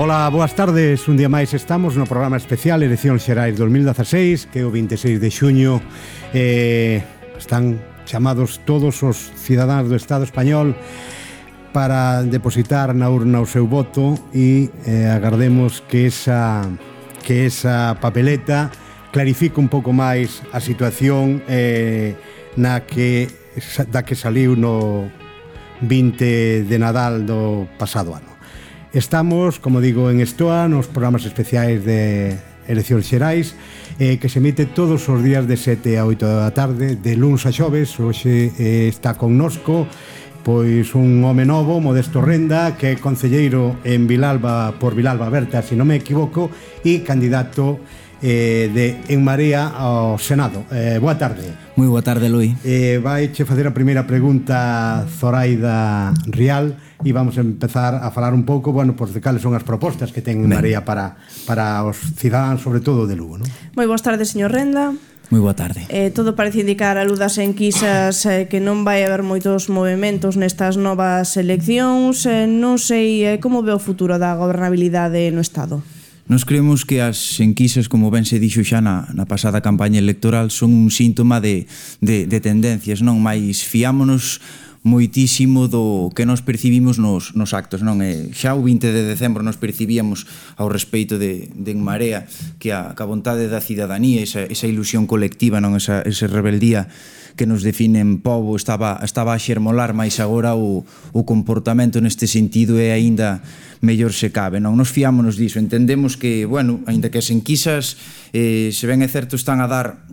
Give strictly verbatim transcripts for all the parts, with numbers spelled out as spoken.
Ola, boas tardes. Un día máis estamos no programa especial Eleccións Xerais dos mil dezaseis, que é o vinte e seis de xuño. eh, Están chamados todos os cidadáns do Estado español para depositar na urna o seu voto e eh, agardemos que esa, que esa papeleta clarifique un pouco máis a situación eh, na que, da que saliu no vinte de Nadal do pasado ano. Estamos, como digo, en Estoa, nos programas especiais de Eleccións Xerais, eh, que se emite todos os días de sete a oito da tarde, de luns a xoves. Hoxe eh, está connosco pois un home novo, Modesto Renda, que é concelleiro en Vilalba, por Vilalba Berta, se non me equivoco, e candidato eh, de En Marea ao Senado. Eh, boa tarde. Moi boa tarde, Lui. Eh, vai che facer a primeira pregunta Zoraida Rial e vamos a empezar a falar un pouco, bueno, pois de cales son as propostas que ten En Marea para, para os cidadáns, sobre todo de Lugo, non? Moi boas tardes, señor Renda. Moi boa tarde. Eh, todo parece indicar a luz das enquisas eh, que non vai haber moitos movimentos nestas novas eleccións. Eh, non sei eh, como ve o futuro da gobernabilidade no Estado. Nos creemos que as enquisas, como ben se dixo xa na, na pasada campaña electoral, son un síntoma de, de, de tendencias, non? Mais fiámonos moitísimo do que nos percibimos nos, nos actos, non? E xa o vinte de decembro nos percibíamos ao respeito de, de En Marea que a, que a vontade da cidadanía, esa, esa ilusión colectiva, non? Esa, esa rebeldía que nos define en pobo estaba, estaba a xermolar, máis agora o, o comportamento neste sentido é aínda mellor se cabe, non? Nos fiámonos diso, entendemos que, bueno, aínda que as enquisas eh, se ben é certo están a dar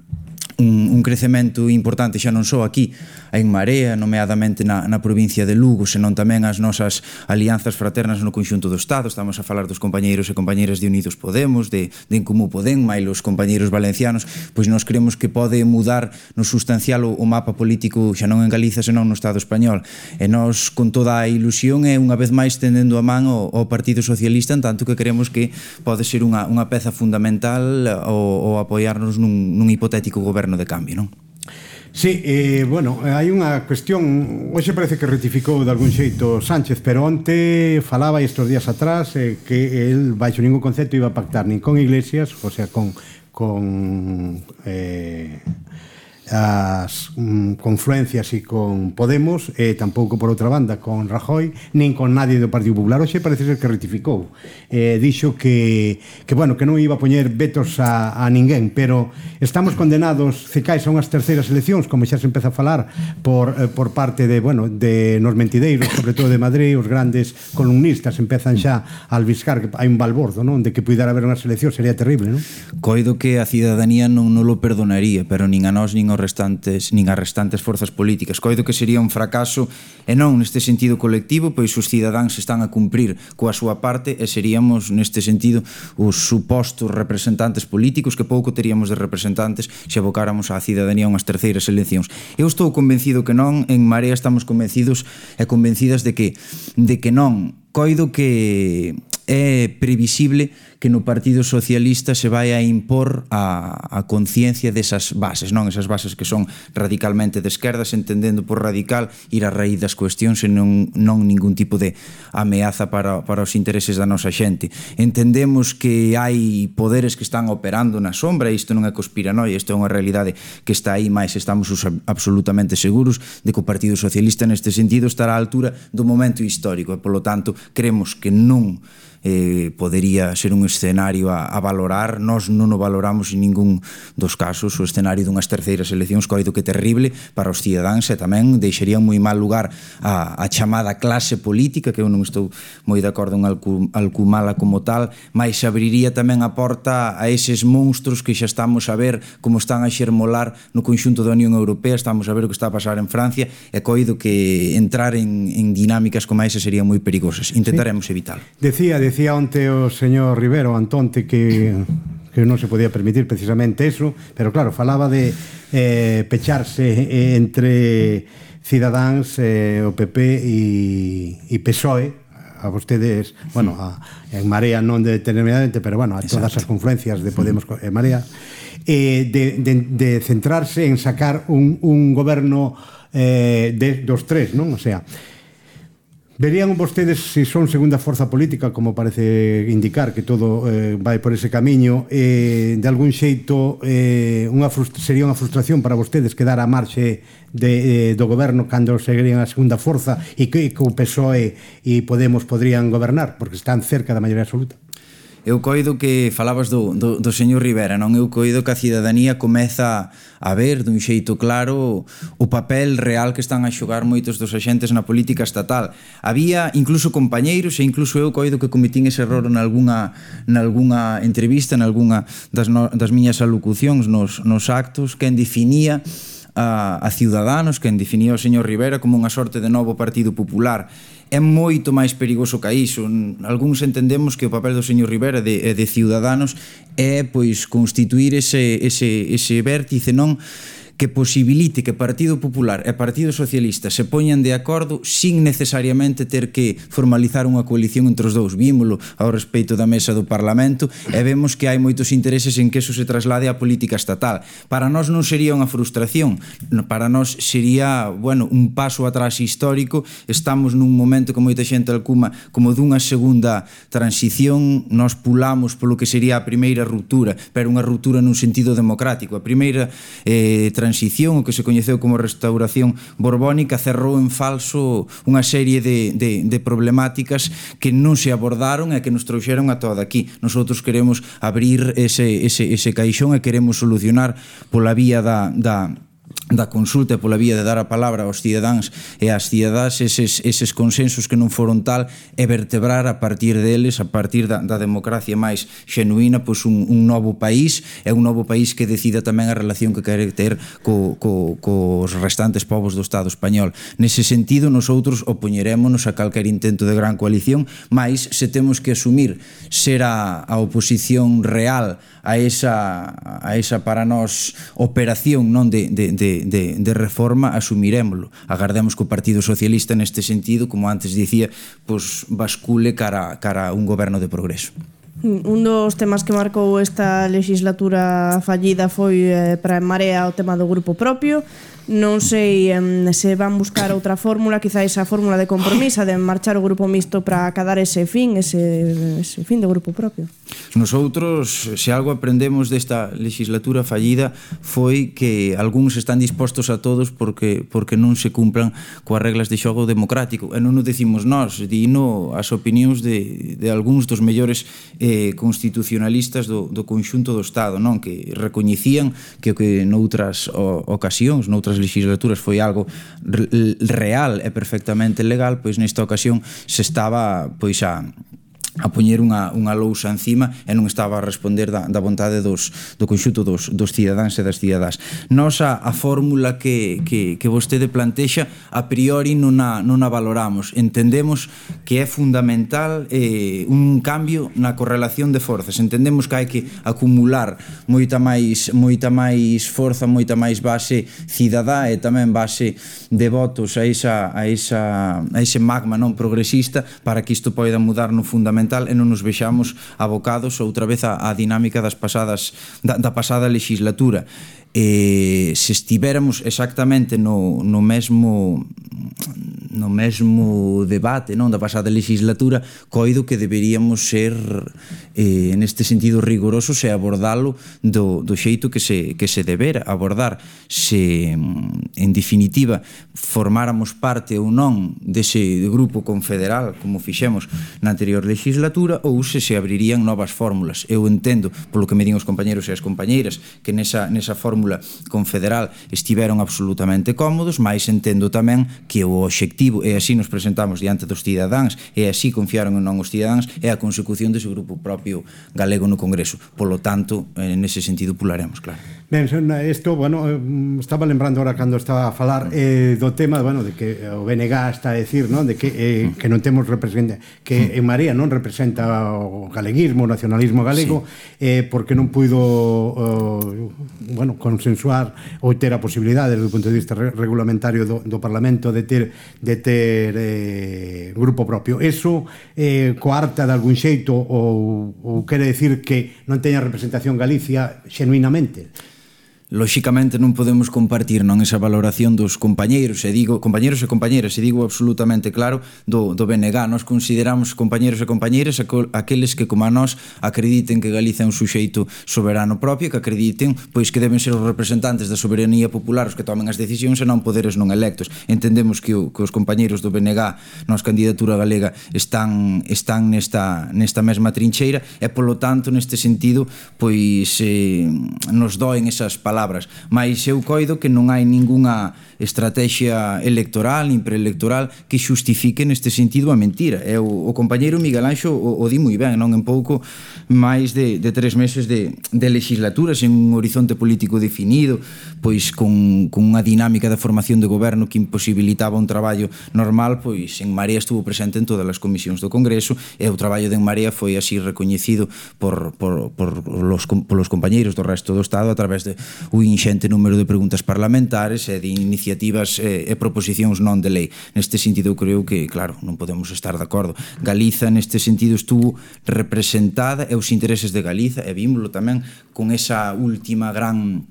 un, un crecemento importante xa non só aquí a En Marea, nomeadamente na, na provincia de Lugo, senón tamén as nosas alianzas fraternas no conxunto do Estado. Estamos a falar dos compañeiros e compañeiras de Unidos Podemos, de, de En Comú Podem, máis os compañeiros valencianos. Pois nós creemos que pode mudar no sustancial o, o mapa político xa non en Galiza, senón no Estado español. E nós, con toda a ilusión, e unha vez máis tendendo a man ao, ao Partido Socialista, en tanto que creemos que pode ser unha, unha peza fundamental o, o apoiarnos nun, nun hipotético goberno de cambio, non? Sí, eh, bueno, hai unha cuestión. Hoxe parece que rectificou de algún xeito Sánchez, pero onte falaba estes días atrás eh, que el, baixo ningún concepto, iba a pactar nin con Iglesias, o sea, con con eh, as mm, confluencias e con Podemos, e tampouco por outra banda con Rajoy, nin con nadie do Partido Popular. Hoxe parece ser que rectificou, eh, dixo que, que bueno, que non iba a poñer vetos a, a ninguén, pero estamos condenados, se caes a unhas terceiras eleccións, como xa se empeza a falar por, eh, por parte de, bueno, de nos mentideiros, sobre todo de Madrid. Os grandes columnistas empezan xa a albiscar que hai un balbordo, non? De que puidera haber unhas eleccións, sería terrible, non? Coido que a cidadanía non, non lo perdonaría, pero nin a nós nin os restantes, nin as restantes forzas políticas. Coido que sería un fracaso, e non neste sentido colectivo, pois os cidadáns están a cumprir coa súa parte, e seríamos neste sentido os supostos representantes políticos, que pouco teríamos de representantes se abocáramos á cidadanía a unhas terceiras eleccións. Eu estou convencido que non. En Marea estamos convencidos e convencidas de que, de que non. Coido que é previsible que no Partido Socialista se vai a impor a, a conciencia desas bases, non? Esas bases que son radicalmente de esquerdas, entendendo por radical ir a raíz das cuestións e non, non ningún tipo de ameaza para, para os intereses da nosa xente. Entendemos que hai poderes que están operando na sombra, e isto non é conspiranoia, isto é unha realidade que está aí, máis estamos absolutamente seguros de que o Partido Socialista neste sentido estará á altura do momento histórico, e polo tanto creemos que non eh, podería ser un escenario a, a valorar. Nós non o valoramos en ningún dos casos. O escenario dunhas terceiras eleccións coido que terrible para os cidadáns, e tamén deixaría moi mal lugar a, a chamada clase política, que eu non estou moi de acordo en alcumala como tal, mas abriría tamén a porta a eses monstruos que xa estamos a ver como están a xermolar no conxunto da Unión Europea. Estamos a ver o que está a pasar en Francia, e coido que entrar en, en dinámicas como esa serían moi perigosas. Intentaremos sí. evitalo. Decía, decía Decía onte o señor Rivero Antonte que, que non se podía permitir precisamente eso, pero claro, falaba de eh, pecharse entre Cidadáns, eh, o P P e P S O E, a vostedes, bueno, a, En Marea non determinadamente, pero bueno, a todas as confluencias de Podemos e Marea, eh, de, de, de centrarse en sacar un, un goberno eh, de, dos tres, non? O sea, Verían vostedes, se son segunda forza política, como parece indicar que todo eh, vai por ese camiño, eh, de algún xeito eh, unha sería unha frustración para vostedes quedar a marxe de, eh, do goberno cando seguirían a segunda forza e que, que o P S O E e Podemos podrían gobernar, porque están cerca da maioría absoluta? Eu coido que falabas do, do, do señor Rivera, non? Eu coido que a cidadanía comeza a ver dun xeito claro o papel real que están a xogar moitos dos axentes na política estatal. Había incluso compañeiros e incluso eu coido que cometín ese error nalgúna, nalgúna entrevista, nalgúna das, no, das miñas alocucións nos, nos actos, quen definía a, a Ciudadanos, quen definía o señor Rivera como unha sorte de novo Partido Popular. É moito máis perigoso que iso. Algúns entendemos que o papel do señor Rivera de, de Ciudadanos é pois constituir ese, ese, ese vértice, non, que posibilite que Partido Popular e Partido Socialista se poñan de acordo sin necesariamente ter que formalizar unha coalición entre os dous. Vímolo ao respeito da mesa do Parlamento e vemos que hai moitos intereses en que eso se traslade á política estatal. Para nós non sería unha frustración, para nós sería, bueno, un paso atrás histórico. Estamos nun momento que moita xente alcuma como dunha segunda transición. Nós pulamos polo que sería a primeira ruptura, pero unha ruptura nun sentido democrático. A primeira eh, transición, o que se coñeceu como restauración borbónica, cerrou en falso unha serie de, de, de problemáticas que non se abordaron e que nos trouxeron a todo aquí. Nosotros queremos abrir ese, ese, ese caixón e queremos solucionar pola vía da, da da consulta e pola vía de dar a palabra aos cidadáns e ás cidadás eses, eses consensos que non foron tal e vertebrar a partir deles, a partir da, da democracia máis xenuína, pois un, un novo país e un novo país que decida tamén a relación que quere ter co, co, cos restantes povos do Estado español. Nese sentido, nosotros opoñerémonos a calquer intento de gran coalición, mais se temos que asumir ser a, a oposición real a esa, a esa para nós operación non de, de, de De, de reforma, asumirémolo. Agardemos que o Partido Socialista neste sentido, como antes dicía, pues bascule cara, cara a un goberno de progreso. Un dos temas que marcou esta legislatura fallida foi eh, para En Marea o tema do grupo propio. Non sei eh, se van buscar outra fórmula, quizáis a fórmula de compromiso de marchar o grupo mixto para acadar ese fin, ese, ese fin do grupo propio. Nosotros, se algo aprendemos desta legislatura fallida foi que algúns están dispostos a todos porque porque non se cumplan coas reglas de xogo democrático, e non o decimos nós, dino as opinións de, de algúns dos mellores eh, constitucionalistas do, do conxunto do Estado, non, que recoñecían que o que noutras o, ocasións, noutras legislaturas foi algo real e perfectamente legal, pois nesta ocasión se estaba pois a a poñer unha, unha lousa encima e non estaba a responder da, da vontade dos, do conxunto dos, dos cidadáns e das cidadás. Nos a, a fórmula que, que, que vostede plantexa a priori non a, non a valoramos. Entendemos que é fundamental eh, un cambio na correlación de forzas. Entendemos que hai que acumular moita máis, moita máis forza, moita máis base cidadá e tamén base de votos a, esa, a, esa, a ese magma non progresista para que isto poida mudar no fundamental e non nos vexamos abocados outra vez á dinámica das pasadas da, da pasada legislatura. E se estivéramos exactamente no, no mesmo no mesmo debate non da pasada legislatura, coido que deberíamos ser eh, neste sentido rigorosos e abordalo do, do xeito que se, que se debera abordar. Se en definitiva formáramos parte ou non dese grupo confederal como fixemos na anterior legislatura, ou se se abrirían novas fórmulas. Eu entendo, polo que me din os compañeros e as compañeiras, que nesa, nesa fórmula confederal estiveron absolutamente cómodos, mas entendo tamén que o obxectivo, e así nos presentamos diante dos cidadáns, e así confiaron en non os cidadáns, é a consecución dese grupo propio galego no Congreso. Polo tanto, nese sentido pularemos, claro. Ben, isto, bueno, estaba lembrando ahora cando estaba a falar eh, do tema, bueno, de que o B N G está a decir, non, de que eh, que non temos representa, que En Marea non representa o galeguismo, o nacionalismo galego, sí. eh, porque non puido uh, bueno, consensuar ou ter a posibilidade desde o punto de vista regulamentario do, do Parlamento de ter de ter eh, grupo propio. Eso eh, coarta de algún xeito ou, ou quere decir que non teña representación Galicia xenuinamente? Lóxicamente non podemos compartir non esa valoración dos compañeiros, e digo compañeiros e compañeiras, e digo absolutamente claro do, do B N G. Nos consideramos compañeiros e compañeiras aqueles que, como a nós, acrediten que Galiza é un suxeito soberano propio, que acrediten pois que deben ser os representantes da soberanía popular os que tomen as decisións e non poderes non electos. Entendemos que, o, que os compañeiros do B N G nos candidatura galega están, están nesta, nesta mesma trincheira e, polo tanto, neste sentido, pois eh, nos doen esas palabras palabras, mas eu coido que non hai ningunha estrategia electoral nin preelectoral que xustifique neste sentido a mentira. E o, o compañeiro Miguel Anxo o, o di moi ben, non en pouco máis de, de tres meses de, de legislatura, sen un horizonte político definido, pois con, con unha dinámica de formación de goberno que imposibilitaba un traballo normal, pois En Marea estuvo presente en todas as comisións do Congreso e o traballo de En Marea foi así recoñecido por, por, por, los, por los compañeiros do resto do Estado a través de un inxente número de preguntas parlamentares e de iniciativas e, e proposicións non de lei. Neste sentido, eu creo que, claro, non podemos estar de acordo. Galiza, neste sentido, estuvo representada e os intereses de Galiza, e vímolo tamén con esa última gran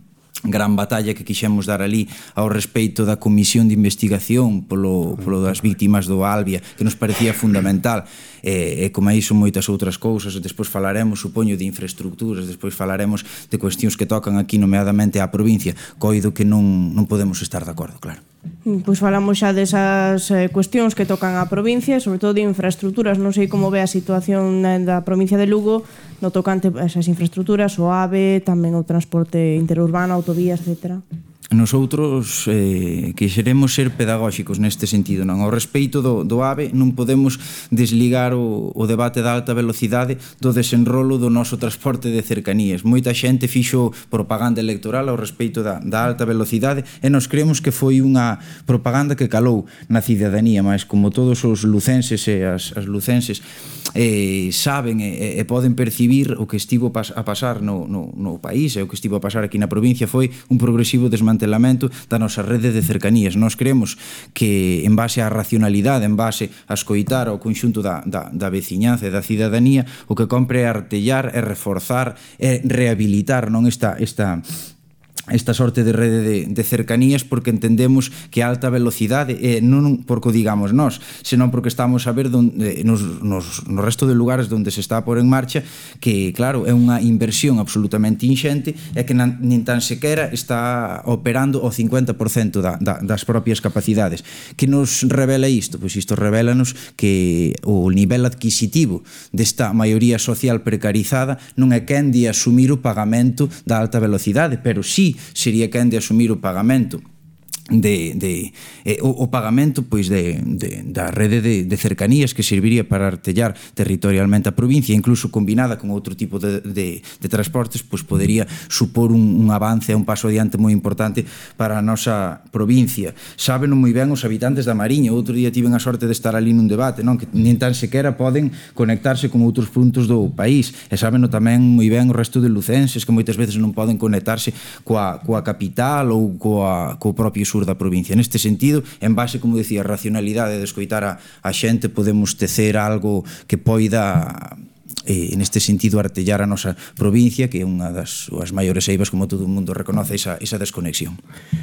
gran batalla que quixemos dar ali ao respeito da comisión de investigación polo, polo das víctimas do Albia, que nos parecía fundamental, e, e como aí son moitas outras cousas. Despois falaremos, supoño, de infraestructuras, despois falaremos de cuestións que tocan aquí nomeadamente á provincia. Coido que non, non podemos estar de acordo, claro. Pois falamos xa desas eh, cuestións que tocan á provincia, sobre todo de infraestructuras. Non sei como ve a situación da provincia de Lugo no tocante a esas infraestructuras, o AVE, tamén o transporte interurbano, autovías, etcétera. Nosotros eh, quixeremos ser pedagóxicos neste sentido, non? Ao respeito do, do AVE non podemos desligar o, o debate da alta velocidade do desenrolo do noso transporte de cercanías. Moita xente fixo propaganda electoral ao respeito da, da alta velocidade e nos creemos que foi unha propaganda que calou na cidadanía, mas como todos os lucenses e as, as lucenses eh, saben e, e poden percibir, o que estivo pas, a pasar no, no, no país e o que estivo a pasar aquí na provincia foi un progresivo desmantelamento da nosa rede de cercanías. Nós creemos que en base á racionalidade, en base a escoitar ao conxunto da, da, da veciñanza e da cidadanía, o que compre é artellar, é reforzar, é rehabilitar non esta esta esta sorte de rede de, de cercanías, porque entendemos que a alta velocidade eh, non porque o digamos nós, senón porque estamos a ver donde, nos, nos, no resto de lugares onde se está a pôr en marcha, que claro, é unha inversión absolutamente inxente e que nan, nin tan sequera está operando o cincuenta por cento da, da, das propias capacidades. Que nos revela isto? Pois isto revelanos que o nivel adquisitivo desta maioría social precarizada non é quen de asumir o pagamento da alta velocidade, pero sí sería quen de asumir o pagamento de, de eh, o, o pagamento pois de, de, da rede de, de cercanías que serviría para artellar territorialmente a provincia, incluso combinada con outro tipo de, de, de transportes, pois podería supor un, un avance e un paso adiante moi importante para a nosa provincia. Sábeno moi ben os habitantes da Mariña. Outro día tiven a sorte de estar ali nun debate, non? Que nin tan sequera poden conectarse con outros puntos do país, e sábeno tamén moi ben o resto de lucenses, que moitas veces non poden conectarse coa, coa capital ou coa, coa propio sur da provincia. Neste sentido, en base, como decía, a racionalidade de escoitar a, a xente, podemos tecer algo que poida eh, neste sentido artellar a nosa provincia, que é unha das as maiores eivas, como todo o mundo reconoce, esa, esa desconexión.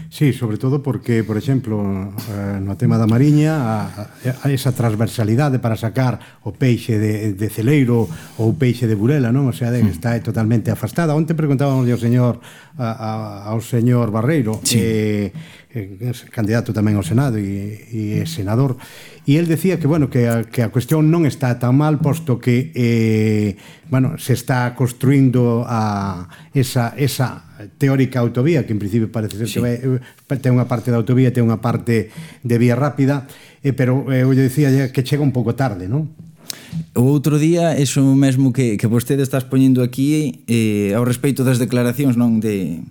Sí, sobre todo porque, por exemplo, eh, no tema da Mariña, a, a esa transversalidade para sacar o peixe de, de Celeiro ou o peixe de Burela, non? O sea, de, está totalmente afastada. Onte preguntábamos ao señor a, a, ao señor Barreiro, sí. eh, eh, candidato tamén ao Senado e, e senador, e el decía que, bueno, que a, que a cuestión non está tan mal, posto que eh, bueno, se está construindo a esa, esa teórica autovía, que en principio parece ser sí. que vai, ten unha parte da autovía, ten unha parte de vía rápida, eh, pero eh, eu decía que chega un pouco tarde, non? O outro día, eso mesmo que, que vostede estás poñendo aquí, eh, ao respeito das declaracións, non, de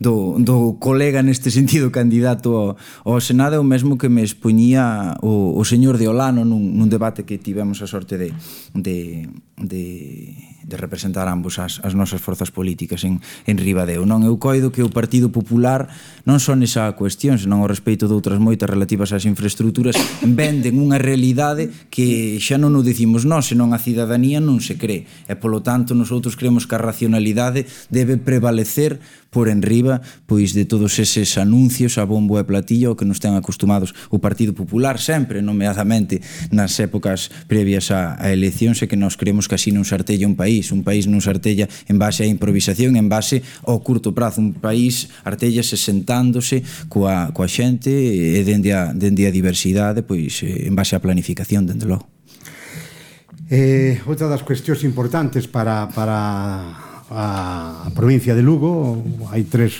do, do colega neste sentido candidato ao, ao Senado, é o mesmo que me expoñía o, o señor de Olano nun, nun debate que tivemos a sorte de, de, de, de representar ambos as, as nosas forzas políticas en, en Ribadeo. Non, eu coido que o Partido Popular non son esa cuestión, senón ao respeito de outras moitas relativas ás infraestructuras, venden unha realidade que xa non o dicimos nós, senón a cidadanía non se cree, e polo tanto nosotros creemos que a racionalidade debe prevalecer por enriba pois de todos eses anuncios a bombo e platillo que nos ten acostumados o Partido Popular sempre, nomeadamente nas épocas previas á, á elección, e que nós creemos que así non se artella un país, un país non se artella en base á improvisación, en base ao curto prazo, un país artellase sentándose coa, coa xente e dende a, dende a diversidade, pois en base á planificación, dende logo. Eh, outra das cuestións importantes para, para a provincia de Lugo, hai tres,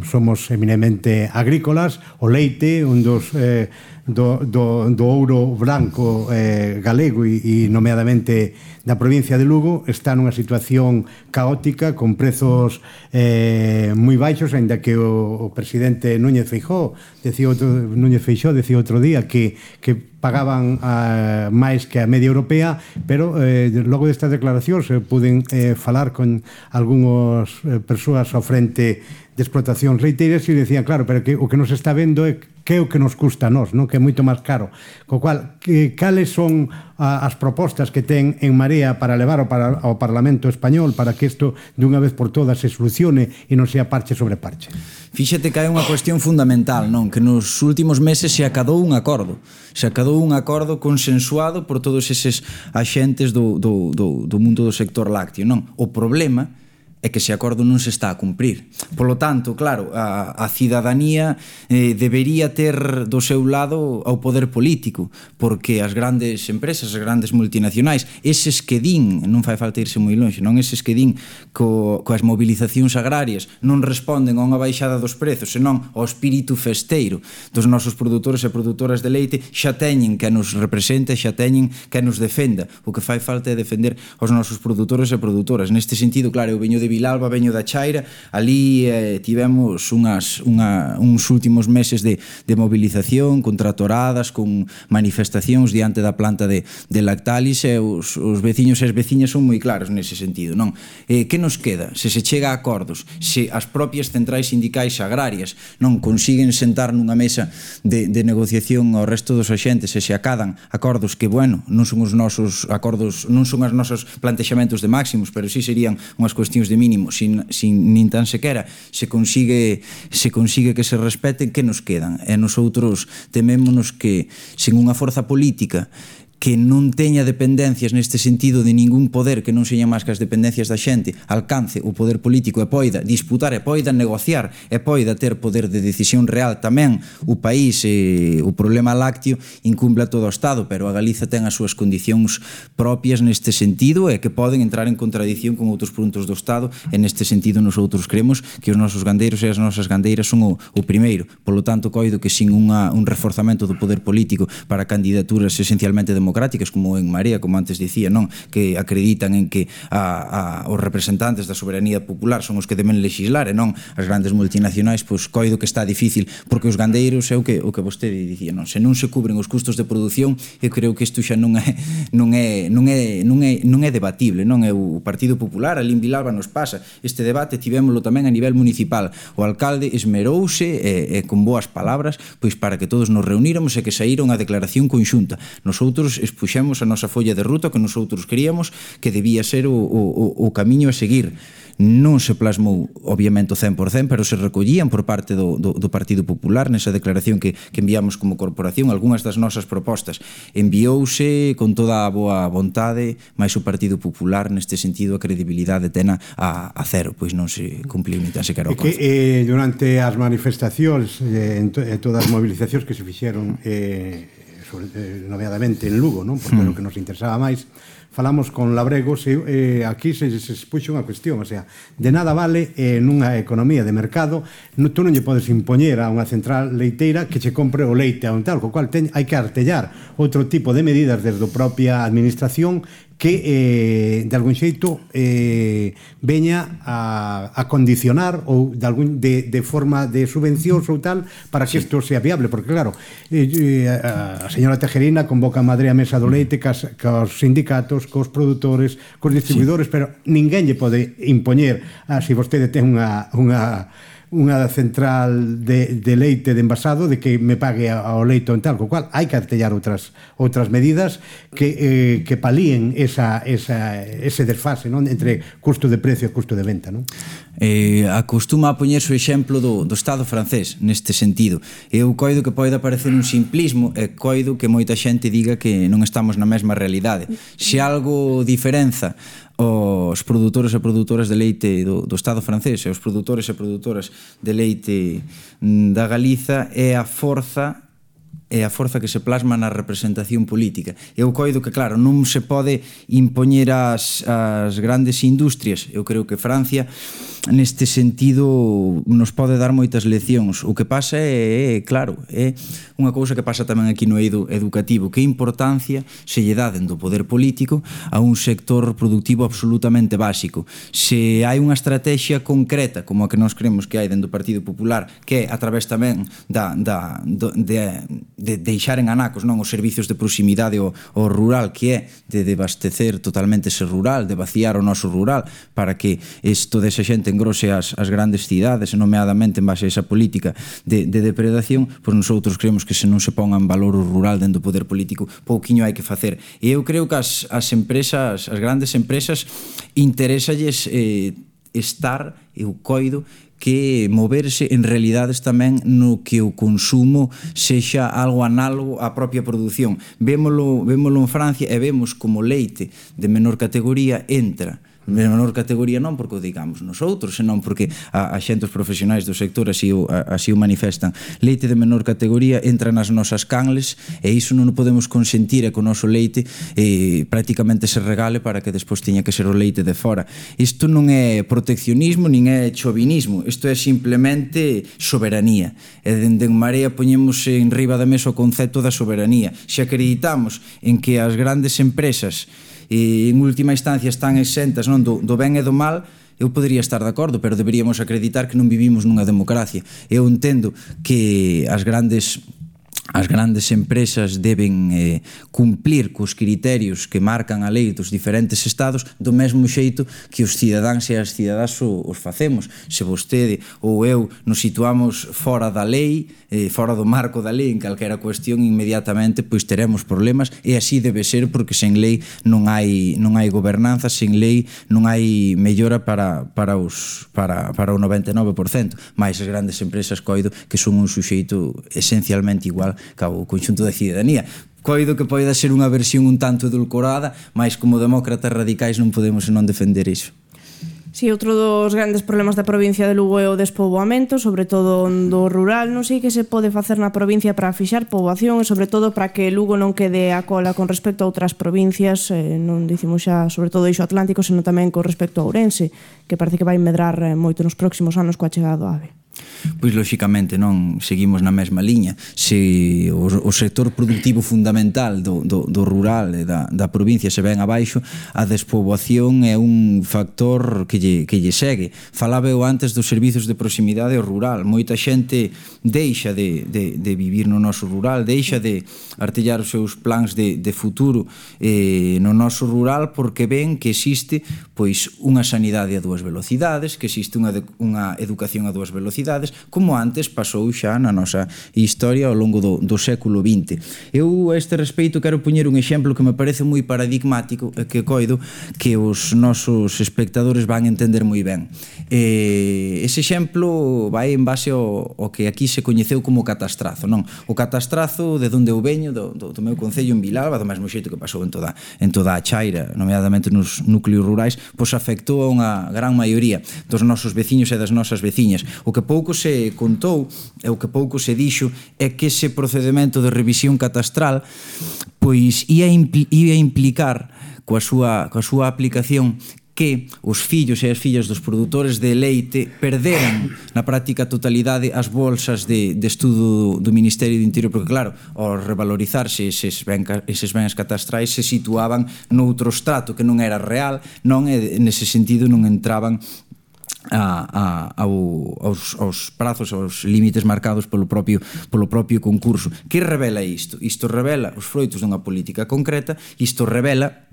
somos eminentemente agrícolas, o leite, un dos eh, do, do, do ouro branco eh, galego e, e nomeadamente da provincia de Lugo, está nunha situación caótica con prezos eh, moi baixos, aínda que o, o presidente Núñez Feijóo decía outro, Núñez Feixóo decía outro día que, que pagaban uh, máis que a media europea, pero eh, logo destas declaracións eh, puden eh, falar con algunhas eh, persoas ao frente de explotacións leiteiras e decían, claro, pero que o que nos está vendo é que é o que nos custa a nós, non? Que é moito máis caro. Co cual, que, cales son a, as propostas que ten en Marea para levar ao, para, ao Parlamento Español para que isto de unha vez por todas se solucione e non sea parche sobre parche? Fíxate que hai unha cuestión fundamental, non? Que nos últimos meses se acadou un acordo. Se acadou un acordo consensuado por todos eses axentes do, do, do, do mundo do sector lácteo, non? O problema é que ese acordo non se está a cumprir. Por lo tanto, claro, a, a cidadanía eh, debería ter do seu lado ao poder político, porque as grandes empresas, as grandes multinacionais, eses que din, non fai falta irse moi longe, non eses que din co, coas movilizacións agrarias non responden a unha baixada dos prezos, senón ao espírito festeiro dos nosos produtores e produtoras de leite, xa teñen que nos represente, xa teñen que nos defenda. O que fai falta é defender os nosos produtores e produtoras. Neste sentido, claro, eu veño de Vilalba, veño da Chaira, ali eh, tivemos unhas, unha, uns últimos meses de, de movilización, con tratoradas, con manifestacións diante da planta de, de Lactalis, e os, os veciños e as veciñas son moi claros nese sentido, non? Eh, que nos queda? Se se chega a acordos, se as propias centrais sindicais agrarias non consiguen sentar nunha mesa de, de negociación ao resto dos axentes e se acadan acordos que, bueno, non son os nosos acordos, non son os nosos plantexamentos de máximos, pero sí serían unhas cuestións de mínimo, sin, sin nin tan sequera se consigue se consigue que se respeten, que nos quedan? E nosotros temémonos que sen unha forza política que non teña dependencias neste sentido de ningún poder que non seña máis que as dependencias da xente, alcance o poder político e poida disputar e poida negociar e poida ter poder de decisión real tamén o país e o problema lácteo incumpla todo o Estado, pero a Galiza ten as súas condicións propias neste sentido e que poden entrar en contradición con outros puntos do Estado, e neste sentido nosotros creemos que os nosos gandeiros e as nosas gandeiras son o, o primeiro. Polo tanto, coido que sin unha, un reforzamento do poder político para candidaturas esencialmente democráticas democráticas como en Marea, como antes dicía, non, que acreditan en que a, a, os representantes da soberanía popular son os que deben legislar e non as grandes multinacionais, pois coido que está difícil, porque os gandeiros é o que o que vostede dicía, non, se non se cubren os custos de produción, eu creo que isto xa non é non é non é non é non é debatible, non é o Partido Popular, ali en Vilalba nos pasa este debate, tivémolo tamén a nivel municipal. O alcalde esmerouse e, e con boas palabras, pois para que todos nos reuníramos e que saíra unha declaración conxunta. Nosotros expuxemos a nosa folla de ruta que nosotros queríamos que debía ser o, o, o camiño a seguir. Non se plasmou, obviamente, o cen por cen, pero se recollían por parte do, do, do Partido Popular nesa declaración que, que enviamos como corporación. Algúnas das nosas propostas enviouse con toda a boa vontade, mas o Partido Popular neste sentido a credibilidade tena a, a cero, pois non se cumpliu ni tan sequera o que eh, durante as manifestacións eh, en, to, en todas as movilizacións que se fixeron eh, sobre, eh, nomeadamente en Lugo, non? Porque hmm. o que nos interesaba máis, falamos con Labregos e eh, aquí se, se expuxo unha cuestión, o sea, de nada vale eh, nunha economía de mercado, no, tú non lle podes impoñer a unha central leiteira que che compre o leite a un tal, co cual ten, hai que artellar outro tipo de medidas desde a propia administración que eh, de algún xeito eh, veña a, a condicionar ou de, algún, de, de forma de subvencións ou tal para que isto sea viable, porque claro eh, a señora Tejerina convoca a Madrid a mesa do leite cas, cos sindicatos, cos produtores, cos distribuidores, sí. Pero ninguén lle pode impoñer, ah, se vostede ten unha, unha unha central de, de leite de envasado de que me pague ao leito en tal, co cual hai que artellar outras outras medidas que, eh, que palíen esa, esa, ese desfase, non? Entre custo de precio e custo de venta, non? Eh, acostuma a poñerse o exemplo do, do Estado francés neste sentido. Eu coido que pode aparecer un simplismo e coido que moita xente diga que non estamos na mesma realidade. Se algo diferenza os produtores e produtoras de leite do, do Estado francés e os produtores e produtoras de leite da Galiza é a forza é a forza que se plasma na representación política. Eu coido que, claro, non se pode impoñer as, as grandes industrias. Eu creo que Francia, neste sentido, nos pode dar moitas leccións. O que pasa é, é claro, é unha cousa que pasa tamén aquí no eido educativo. Que importancia se lle dá dentro do poder político a un sector productivo absolutamente básico. Se hai unha estrategia concreta, como a que nós creemos que hai dentro do Partido Popular, que é a través tamén da, da, de, de deixar en anacos, non, os servicios de proximidade ao, ao rural, que é de debastecer totalmente ese rural, de vaciar o noso rural para que isto desa xente engrose as, as grandes cidades, nomeadamente en base a esa política de, de depredación, pois nosotros creemos que se non se ponga en valor o rural dentro do poder político, pouquiño hai que facer. E eu creo que as, as empresas, as grandes empresas, interésalles eh, estar, eu coido, que moverse en realidades tamén no que o consumo sexa algo análogo á propia produción. Vémolo, vémolo en Francia e vemos como leite de menor categoría entra de menor categoría non porque o digamos nosotros, senón porque a, a xentes profesionais do sector así o, a, así o manifestan. Leite de menor categoría entra nas nosas canles e iso non o podemos consentir e que o noso leite eh, prácticamente se regale para que despois teña que ser o leite de fora. Isto non é proteccionismo nin é chauvinismo, isto é simplemente soberanía. E dende en Marea poñemos en riba da mesa o concepto da soberanía. Se acreditamos en que as grandes empresas e en última instancia están exentas non, do, do ben e do mal, eu podería estar de acordo, pero deberíamos acreditar que non vivimos nunha democracia. Eu entendo que as grandes as grandes empresas deben eh, cumplir cos criterios que marcan a lei dos diferentes estados do mesmo xeito que os cidadáns e as cidadás o, os facemos. Se vostede ou eu nos situamos fora da lei, eh, fora do marco da lei en calquera cuestión, inmediatamente pois teremos problemas e así debe ser porque sen lei non hai non hai gobernanza, sen lei non hai mellora para para os para para o noventa e nove por cento. Mais as grandes empresas coido que son un suxeito esencialmente igual ao conxunto da cidadanía. Coido que poida ser unha versión un tanto edulcorada, mas como demócratas radicais non podemos non defender iso. Si, outro dos grandes problemas da provincia de Lugo é o despoboamento, sobre todo do rural. Non sei que se pode facer na provincia para fixar poboación e sobre todo para que Lugo non quede a cola con respecto a outras provincias, eh, non dicimos xa sobre todo eixo atlántico, senón tamén con respecto a Ourense, que parece que vai medrar moito nos próximos anos coa chegada do AVE. Pois lóxicamente non seguimos na mesma liña. Se o, o sector productivo fundamental do, do, do rural e da, da provincia se ven abaixo, a despoboación é un factor que lle, que lle segue. Falaba eu antes dos servizos de proximidade ao rural. Moita xente deixa de, de, de vivir no noso rural, deixa de artellar os seus plans de, de futuro eh, no noso rural porque ven que existe pois unha sanidade a dúas velocidades, que existe unha, unha educación a dúas velocidades, como antes pasou xa na nosa historia ao longo do, do século vinte. Eu a este respeito quero poñer un exemplo que me parece moi paradigmático e que coido que os nosos espectadores van entender moi ben. E ese exemplo vai en base ao, ao que aquí se coñeceu como catastrazo, non? O catastrazo de onde eu veño, do, do, do meu concello en Vilalba, do mesmo xeito que pasou en toda, en toda a Chaira, nomeadamente nos núcleos rurais, pois afectou a unha gran maioría dos nosos veciños e das nosas veciñas. O que pouco se contou e o que pouco se dixo é que ese procedemento de revisión catastral pois ia, impl- ia implicar coa súa, coa súa aplicación que os fillos e as fillas dos produtores de leite perderan na práctica totalidade as bolsas de, de estudo do Ministerio do Interior, porque claro, ao revalorizarse eses, ben, eses bens catastrais se situaban noutro estrato que non era real, non, e nese sentido non entraban A, a, ao, aos, aos prazos, aos límites marcados polo propio, polo propio concurso. Que revela isto? Isto revela os froitos dunha política concreta, isto revela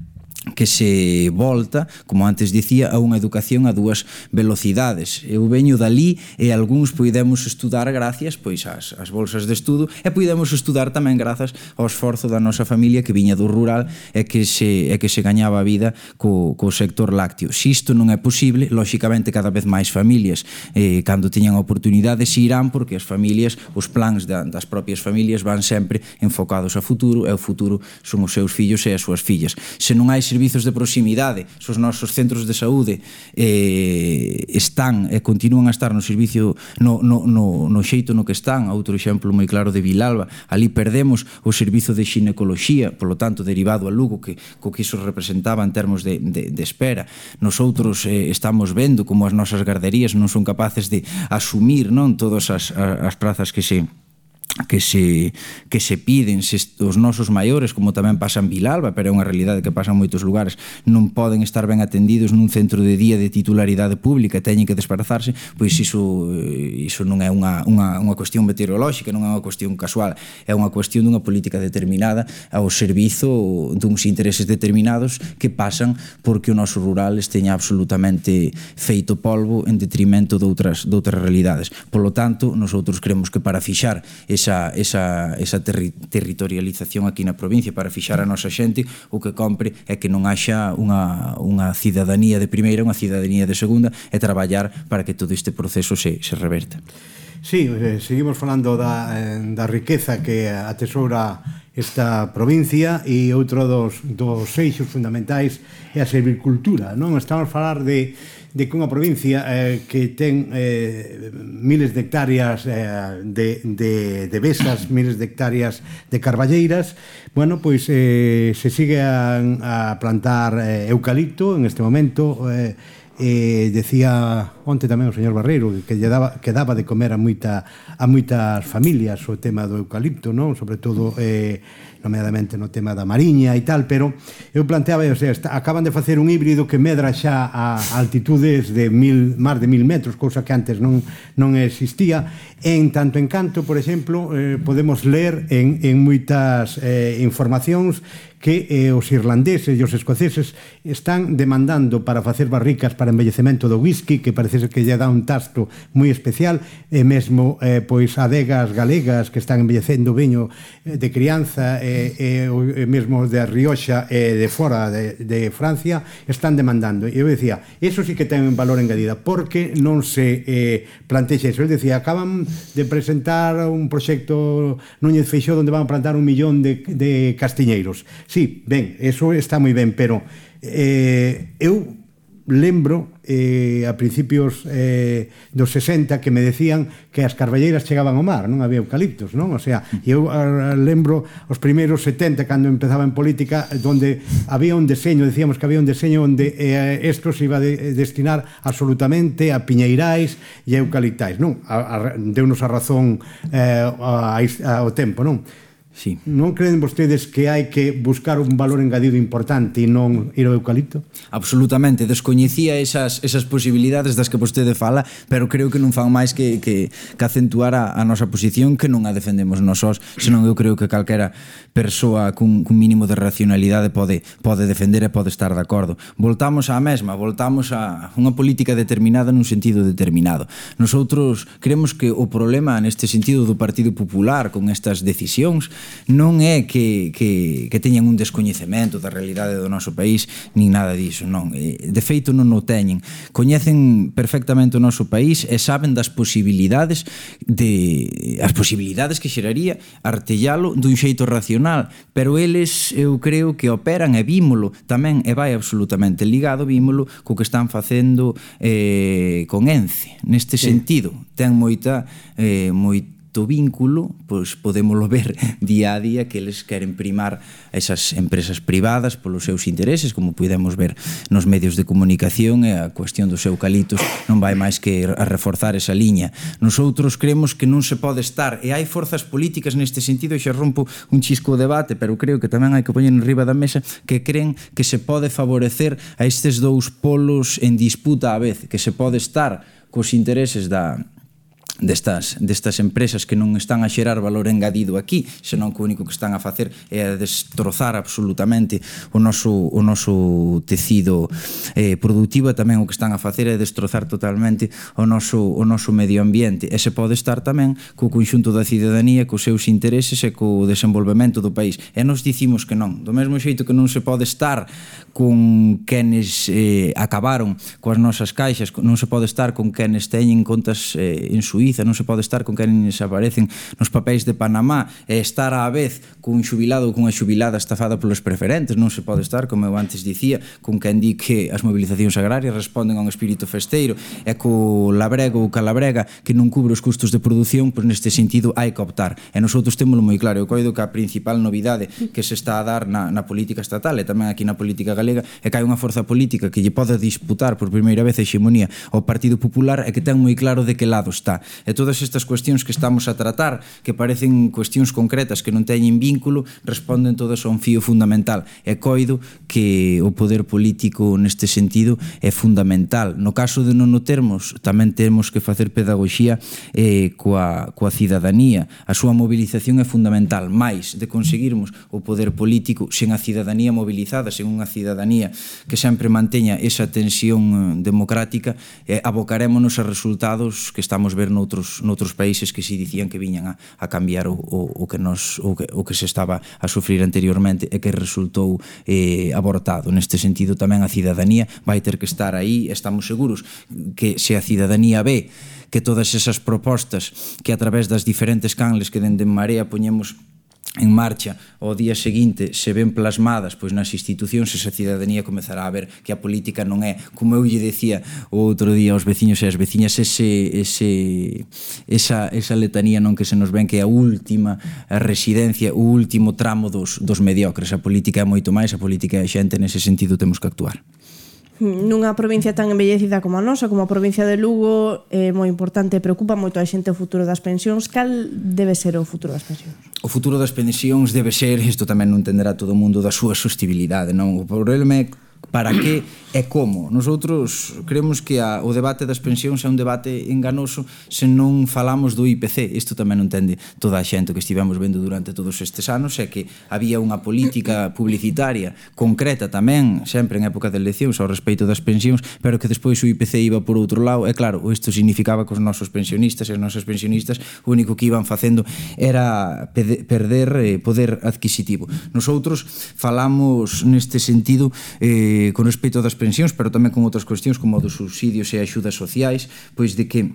que se volta, como antes dicía, a unha educación a dúas velocidades. Eu veño dali e algúns poidemos estudar gracias pois ás, ás bolsas de estudo e poidemos estudar tamén grazas ao esforzo da nosa familia que viña do rural e que se, e que se gañaba a vida co, co sector lácteo. Se isto non é posible, lóxicamente cada vez máis familias eh, cando teñan a oportunidade se irán, porque as familias, os plans da, das propias familias van sempre enfocados a futuro e o futuro son os seus fillos e as súas fillas. Se non hai servizos de proximidade, se os nosos centros de saúde eh, están e continúan a estar no servicio no, no, no, no xeito no que están, outro exemplo moi claro de Vilalba, ali perdemos o servizo de xinecoloxía, polo tanto derivado a Lugo, que, co que iso representaba en termos de, de, de espera. Nosotros eh, estamos vendo como as nosas garderías non son capaces de asumir, non, todas as, as prazas que se que se que se piden, se os nosos maiores, como tamén pasa en Vilalba, pero é unha realidade que pasa en moitos lugares, non poden estar ben atendidos nun centro de día de titularidade pública e teñen que desplazarse, pois iso iso non é unha, unha, unha cuestión meteorolóxica, non é unha cuestión casual, é unha cuestión dunha política determinada ao servizo duns intereses determinados que pasan porque o noso rural esteña absolutamente feito polvo en detrimento de outras, de outras realidades. Polo tanto, nosotros creemos que para fixar esa, esa, esa terri, territorialización aquí na provincia, para fixar a nosa xente, o que compre é que non haxa unha, unha cidadanía de primeira, unha cidadanía de segunda, e traballar para que todo este proceso se, se reverta. Sí, eh, seguimos falando da, eh, da riqueza que atesoura esta provincia, e outro dos, dos eixos fundamentais é a silvicultura, non? Estamos a falar de de que unha provincia eh, que ten eh, miles de hectáreas eh, de, de, de besas, miles de hectáreas de carballeiras, bueno, pois eh, se sigue a, a plantar eh, eucalipto en este momento. eh, eh, decía onte tamén o señor Barreiro que lle daba, que daba de comer a moita a moitas familias o tema do eucalipto, non? Sobre todo eh, nomeadamente no tema da mariña e tal, pero eu planteaba, o sea, está, acaban de facer un híbrido que medra xa a altitudes de mil, máis de mil metros, cousa que antes non, non existía. En tanto en canto, por exemplo, eh, podemos ler en, en moitas eh, informacións que eh, os irlandeses e os escoceses están demandando para facer barricas para embellecemento do whisky, que parece que lle dá un tasto moi especial, e mesmo eh, pois adegas galegas que están embellecendo viño de crianza, e, e, e mesmo de Rioxa e de fora de, de Francia están demandando. E eu decía, eso sí que ten un valor engadida, porque non se eh, plantexa eso. Eu decía, acaban de presentar un proxecto Núñez Feixóo onde van a plantar un millón de, de castiñeiros. Sí, ben, eso está moi ben, pero eh, eu lembro eh, a principios eh, dos sesenta que me decían que as carballeiras chegaban ao mar, non había eucaliptos, non? O sea, eu a, lembro os primeiros setenta, cando empezaba en política, donde había un deseño, decíamos que había un deseño onde eh, esto se iba a de, destinar absolutamente a piñeirais e a eucaliptais, non? A, a, deunos a razón eh, a, a, ao tempo, non? Sí. Non creen vostedes que hai que buscar un valor engadido importante e non ir ao eucalipto? Absolutamente, descoñecía esas, esas posibilidades das que vostede fala, pero creo que non fan máis que, que, que acentuar a, a nosa posición, que non a defendemos nós sós, senón eu creo que calquera persoa cun, cun mínimo de racionalidade pode, pode defender e pode estar de acordo. Voltamos á mesma, voltamos a unha política determinada nun sentido determinado. Nosotros creemos que o problema neste sentido do Partido Popular con estas decisións non é que, que, que teñan un descoñecemento da realidade do noso país, nin nada diso, non. De feito non o teñen. Coñecen perfectamente o noso país e saben das posibilidades de as posibilidades que xeraría artellalo dun xeito racional, pero eles eu creo que operan e vímolo tamén, e vai absolutamente ligado, vímolo co que están facendo eh, con Ence. Neste sí. sentido, ten moita eh, moita vínculo, pois podémoslo ver día a día que eles queren primar esas empresas privadas polos seus intereses, como podemos ver nos medios de comunicación, e a cuestión dos eucaliptos non vai máis que a reforzar esa liña. Nosotros creemos que non se pode estar, e hai forzas políticas neste sentido, e xa rompo un chisco o debate, pero creo que tamén hai que poñer en riba da mesa, que creen que se pode favorecer a estes dous polos en disputa á vez, que se pode estar cos intereses da destas, destas empresas que non están a xerar valor engadido aquí, senón que o único que están a facer é a destrozar absolutamente o noso, o noso tecido eh, productivo, e tamén o que están a facer é destrozar totalmente o noso, o noso medio ambiente, e se pode estar tamén co conxunto da cidadanía, cos seus intereses e co desenvolvemento do país, e nos dicimos que non, do mesmo xeito que non se pode estar con quenes eh, acabaron coas nosas caixas, non se pode estar con quenes teñen contas eh, en Suíza, non se pode estar con quenes aparecen nos papéis de Panamá, e estar á vez cun xubilado ou cunha xubilada estafada polos preferentes, non se pode estar, como eu antes dicía, con quen di que as mobilizacións agrarias responden a un espírito festeiro, e co labrego ou calabrega que non cubre os custos de produción, pois neste sentido hai que optar, e nosotros témolo moi claro. Eu coido que a principal novidade que se está a dar na, na política estatal e tamén aquí na política galega é que hai unha forza política que lle pode disputar por primeira vez a hexemonía ao Partido Popular e que ten moi claro de que lado está. E todas estas cuestións que estamos a tratar, que parecen cuestións concretas que non teñen vínculo, responden todas a un fío fundamental. E coido que o poder político neste sentido é fundamental. No caso de non o termos, tamén temos que facer pedagogía eh, coa, coa cidadanía. A súa movilización é fundamental, máis de conseguirmos o poder político sen a cidadanía mobilizada, sen unha cidadanía que sempre manteña esa tensión democrática, eh, abocarémonos a resultados que estamos ver noutros, noutros países que si dicían que viñan a, a cambiar o, o, o, que nos, o, que, o que se estaba a sufrir anteriormente e que resultou eh, abortado. Neste sentido tamén a cidadanía vai ter que estar aí. Estamos seguros que se a cidadanía ve que todas esas propostas que a través das diferentes canles que dende En Marea poñemos en marcha ao día seguinte se ven plasmadas pois nas institucións, esa cidadanía comezará a ver que a política non é, como eu lle decía o outro día aos veciños e as veciñas, ese, ese, esa, esa letanía non que se nos ven que é a última residencia, o último tramo dos, dos mediocres. A política é moito máis, a política é a xente, nese sentido temos que actuar. Nunha provincia tan envellecida como a nosa, como a provincia de Lugo, é moi importante, preocupa moito a xente o futuro das pensións. Cal debe ser o futuro das pensións? O futuro das pensións debe ser, isto tamén non entenderá todo o mundo, da súa sostibilidade, non? O problema é para que e como. Nosotros creemos que a, o debate das pensións é un debate enganoso se non falamos do I P C. Isto tamén non entende toda a xente que estivemos vendo durante todos estes anos, é que había unha política publicitaria concreta tamén, sempre en época de eleccións, ao respeito das pensións, pero que despois o I P C iba por outro lado, e claro, isto significaba que os nosos pensionistas e as nosas pensionistas o único que iban facendo era perder eh, poder adquisitivo. Nosotros falamos neste sentido eh, con respecto das pensións, pero tamén con outras cuestións como dos subsidios e axudas sociais, pois de que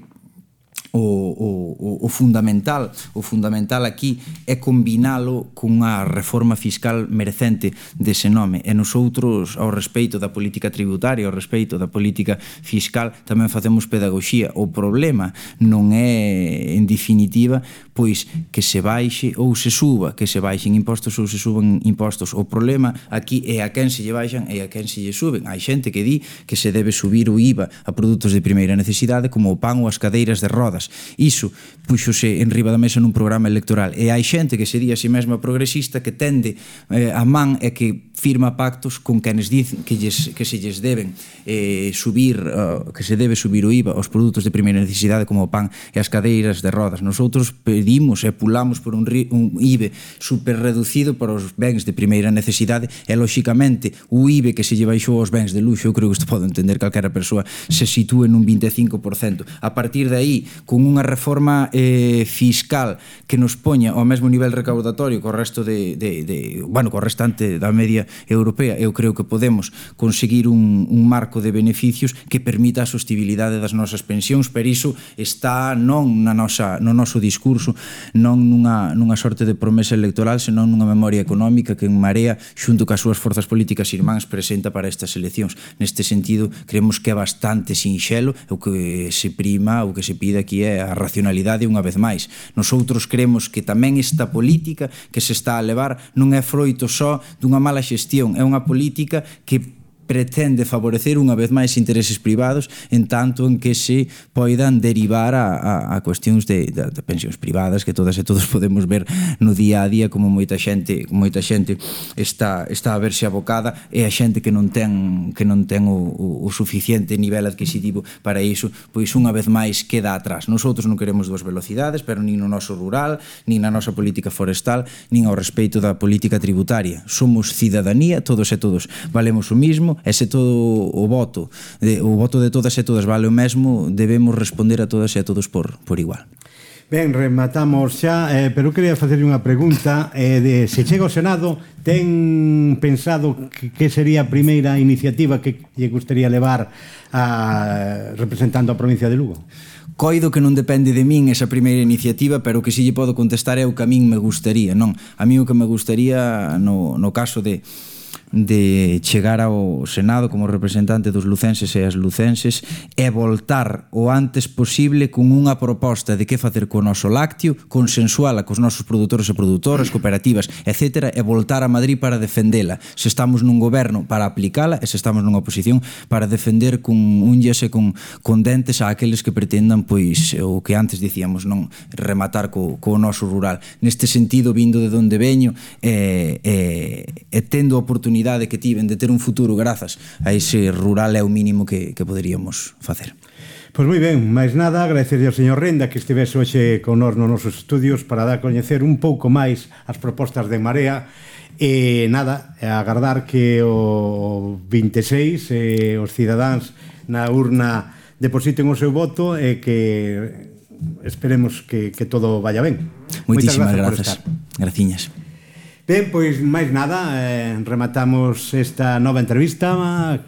O, o, o fundamental o fundamental aquí é combinalo cunha reforma fiscal merecente dese nome, e nosotros ao respeito da política tributaria, ao respeito da política fiscal tamén facemos pedagogía. O problema non é en definitiva pois que se baixe ou se suba, que se baixen impostos ou se suban impostos. O problema aquí é a quen se lle baixan e a quen se lle suben. Hai xente que di que se debe subir o I V A a produtos de primeira necesidade como o pan ou as cadeiras de rodas. Iso puxose en riba da mesa nun programa electoral, e hai xente que se di a si mesma progresista que tende eh, a man e que firma pactos con quenes dicen que, lles, que se lles deben eh, subir uh, que se debe subir o I V A aos produtos de primeira necesidade como o pan e as cadeiras de rodas. Nosotros pedimos e pulamos por un, un I V A super reducido para os bens de primeira necesidade, e lóxicamente o I V A que se lle baixou aos bens de luxo, eu creo que isto pode entender calquera persoa, se sitúe nun vinte e cinco por cento. A partir de aí, con unha reforma eh, fiscal que nos poña ao mesmo nivel recaudatorio co resto de, de, de bueno, co restante da media europea, eu creo que podemos conseguir un, un marco de beneficios que permita a sostibilidade das nosas pensións, pero iso está non na nosa, no noso discurso, non nunha, nunha sorte de promesa electoral, senón nunha memoria económica que En Marea, xunto cas súas forzas políticas irmáns, presenta para estas eleccións. Neste sentido, creemos que é bastante sinxelo, o que se prima, o que se pide aquí é a racionalidade unha vez máis. Nosoutros creemos que tamén esta política que se está a levar non é froito só dunha mala xestión, é unha política que pretende favorecer unha vez máis intereses privados, en tanto en que se poidan derivar a, a, a cuestións de, de, de pensións privadas que todas e todos podemos ver no día a día como moita xente moita xente está, está a verse abocada, e a xente que non ten que non ten o, o, o suficiente nivel adquisitivo para iso, pois unha vez máis queda atrás. Nosotros non queremos dúas velocidades, pero nin no noso rural, nin na nosa política forestal, nin ao respeito da política tributaria. Somos cidadanía, todos e todos valemos o mismo, e se todo o voto de, o voto de todas e todas vale o mesmo, debemos responder a todas e a todos por, por igual. Ben, rematamos xa, eh, pero quería facerlle unha pregunta eh, de se chega ao Senado, ten pensado que, que sería a primeira iniciativa que lle gustaría levar a, representando a provincia de Lugo? Coido que non depende de min esa primeira iniciativa, pero que si lle podo contestar é o que a min me gustaría, non? A mí o que me gustaría no, no caso de de chegar ao Senado como representante dos lucenses e as lucenses é voltar o antes posible con unha proposta de que facer co noso lácteo, consensuala cos nosos produtores e produtoras, cooperativas, etcétera, e voltar a Madrid para defendela. Se estamos nun goberno, para aplicala, e se estamos nunha oposición, para defender con unhas e con, con dentes a aqueles que pretendan, pois, o que antes dicíamos, non rematar co, co noso rural. Neste sentido, vindo de onde veño, e, e, e tendo a oportunidade que tiven de ter un futuro grazas a ese rural é o mínimo que, que poderíamos facer. Pois moi ben, máis nada, agradecerlle ao señor Renda que estivese hoxe con nós nos nosos estudios para dar a coñecer un pouco máis as propostas de Marea, e nada, agardar que o vinte e seis eh, os cidadáns na urna depositen o seu voto e que esperemos que, que todo vaya ben. Moitísimas grazas. Graciñas. Ben, pois máis nada, eh, rematamos esta nova entrevista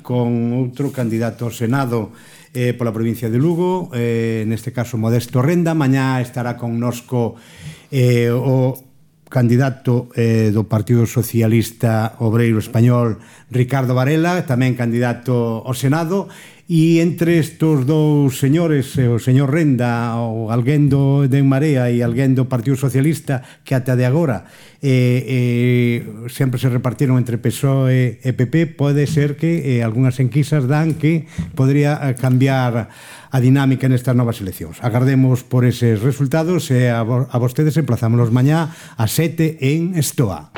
con outro candidato ao Senado eh, pola provincia de Lugo, eh, neste caso Modesto Renda. Mañá estará connosco eh, o candidato eh, do Partido Socialista Obreiro Español, Ricardo Varela, tamén candidato ao Senado. E entre estos dous señores, o señor Renda, o alguén do de Marea e alguén do Partido Socialista, que ata de agora eh, eh, sempre se repartiron entre P S O E e P P, pode ser que eh, algunhas enquisas dan que podría cambiar a dinámica nestas novas eleccións. Agardemos por eses resultados e a, a vostedes emplazámonos mañá a sete en Estoa.